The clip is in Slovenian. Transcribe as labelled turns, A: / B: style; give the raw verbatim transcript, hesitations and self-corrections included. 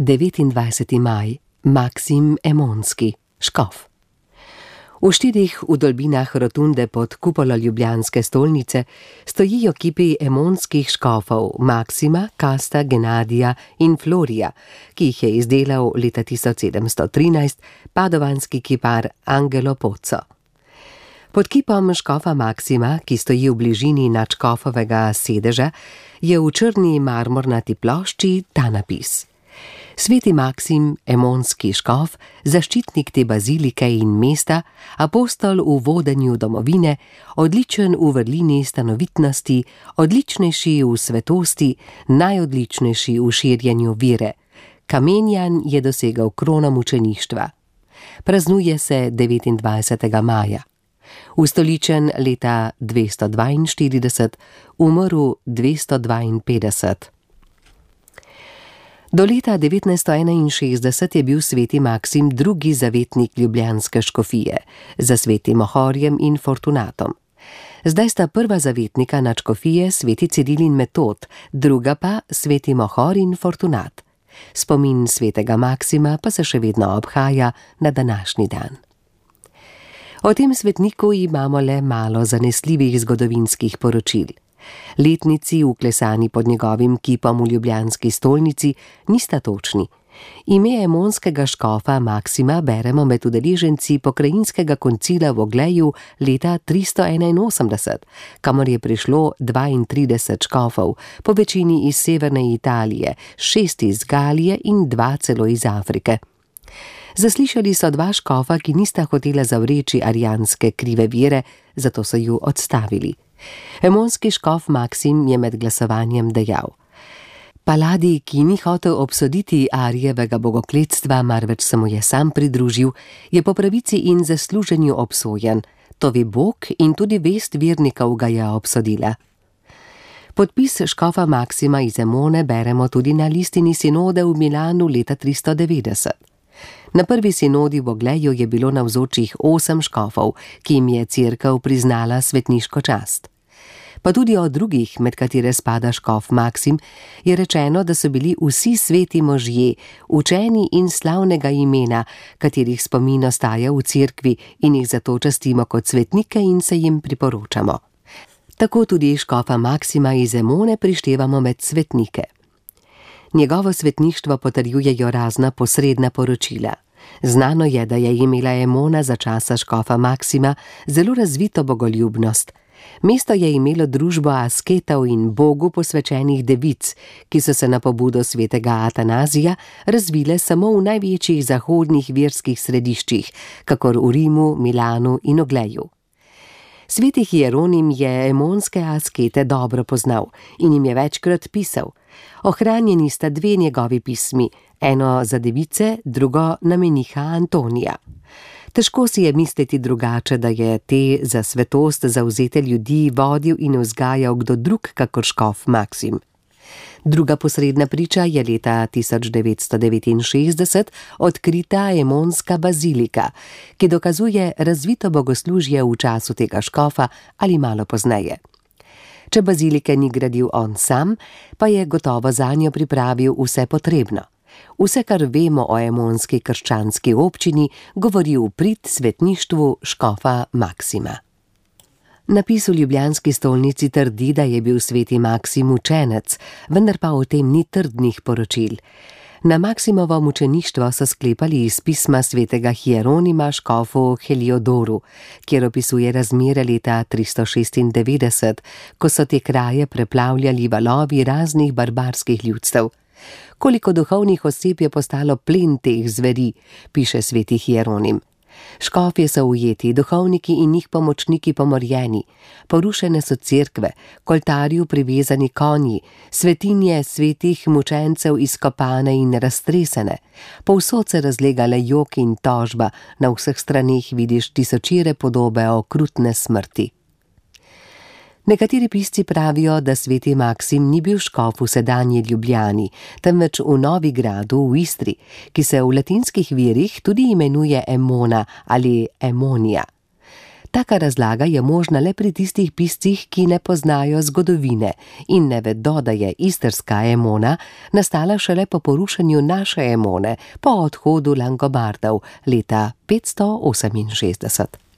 A: devetindvajseti maj, Maksim Emonski, škof. V štirih vdolbinah rotunde pod kupolo ljubljanske stolnice stojijo kipi emonskih škofov Maksima, Kasta, Genadija in Florija, ki jih je izdelal leta tisoč sedemsto trinajst padovanski kipar Angelo Pozzo. Pod kipom škofa Maksima, ki stoji v bližini nadškofovega sedeža, je v črni marmornati plošči ta napis: Sveti Maksim, emonski škof, zaščitnik te bazilike in mesta, apostol v vodenju domovine, odličen v vrlini stanovitnosti, odličnejši v svetosti, najodličnejši v širjenju vere. Kamenjan je dosegel krono mučeništva. Praznuje se devetindvajsetega maja. Ustoličen leta dvesto dvainštirideset, umrl dvesto dvainpetdeset. Do leta devetnajststo enainšestdeset je bil sveti Maksim drugi zavetnik ljubljanske škofije, za svetim Ohorjem in Fortunatom. Zdaj sta prva zavetnika nadškofije sveti Ciril in Metod, druga pa sveti Ohor in Fortunat. Spomin svetega Maksima pa se še vedno obhaja na današnji dan. O tem svetniku imamo le malo zanesljivih zgodovinskih poročil. Letnici, vklesani pod njegovim kipom v ljubljanski stolnici, nista točni. Ime emonskega škofa Maksima beremo med udeleženci pokrajinskega koncila v Ogleju leta tristo enainosemdeset, kamor je prišlo dvaintrideset škofov, po večini iz severne Italije, šest iz Galije in dva celo iz Afrike. Zaslišali so dva škofa, ki nista hotela zavreči arijanske krive vere, zato so ju odstavili. Emonski škof Maksim je med glasovanjem dejal: Paladi, ki ni hotel obsoditi Arijevega bogokletstva, marveč se mu je sam pridružil, je po pravici in zasluženju obsojen. To ve Bog in tudi vest vernikov ga je obsodila. Podpis škofa Maksima iz Emone beremo tudi na listini sinode v Milanu leta tristo devetdeset. Na prvi sinodi v Ogleju je bilo navzočih osem škofov, ki jim je cerkev priznala svetniško čast. Pa tudi o drugih, med katere spada škof Maksim, je rečeno, da so bili vsi sveti možje, učeni in slavnega imena, katerih spomin ostaja v cerkvi in jih zato častimo kot svetnike in se jim priporočamo. Tako tudi škofa Maksima iz Emone prištevamo med svetnike. Njegovo svetništvo potrjujejo razna posredna poročila. Znano je, da je imela Emona za časa škofa Maksima zelo razvito bogoljubnost. Mesto je imelo družbo asketov in Bogu posvečenih devic, ki so se na pobudo svetega Atanazija razvile samo v največjih zahodnih verskih središčih, kakor v Rimu, Milanu in Ogleju. Sveti Hieronim je emonske askete dobro poznal in jim je večkrat pisal. Ohranjeni sta dve njegovi pismi, eno za device, drugo na meniha Antonija. Težko si je misliti drugače, da je te za svetost zavzete ljudi vodil in vzgajal kdo drug kakor škof Maksim. Druga posredna priča je leta tisoč devetsto devetinšestdeset odkrita emonska bazilika, ki dokazuje razvito bogoslužje v času tega škofa ali malo pozneje. Če bazilike ni gradil on sam, pa je gotovo zanjo pripravil vse potrebno. Vse, kar vemo o emonski krščanski občini, govori v prid svetništvu škofa Maksima. Napis v ljubljanski stolnici trdi, da je bil sveti Maksim učenec, vendar pa o tem ni trdnih poročil. Na Maksimovo mučeništvo so sklepali iz pisma svetega Hieronima škofu Heliodoru, kjer opisuje razmere leta tristo šestindevetdeset, ko so te kraje preplavljali valovi raznih barbarskih ljudstev. Koliko duhovnih oseb je postalo plen teh zveri, piše sveti Hieronim. Škofje so ujeti, duhovniki in njih pomočniki pomorjeni, porušene so cerkve, k oltarju privezani konji, svetinje svetih mučencev izkopane in raztresene, povsod se razlega le jok in tožba, na vseh straneh vidiš tisočire podobe okrutne smrti. Nekateri pisci pravijo, da sveti Maksim ni bil škof v sedanji Ljubljani, temveč v Novigradu v Istri, ki se v latinskih virih tudi imenuje Emona ali Emonija. Taka razlaga je možna le pri tistih piscih, ki ne poznajo zgodovine in ne vedo, da je istrska Emona nastala šele po porušenju naše Emone po odhodu Langobardov leta petsto oseminšestdeset.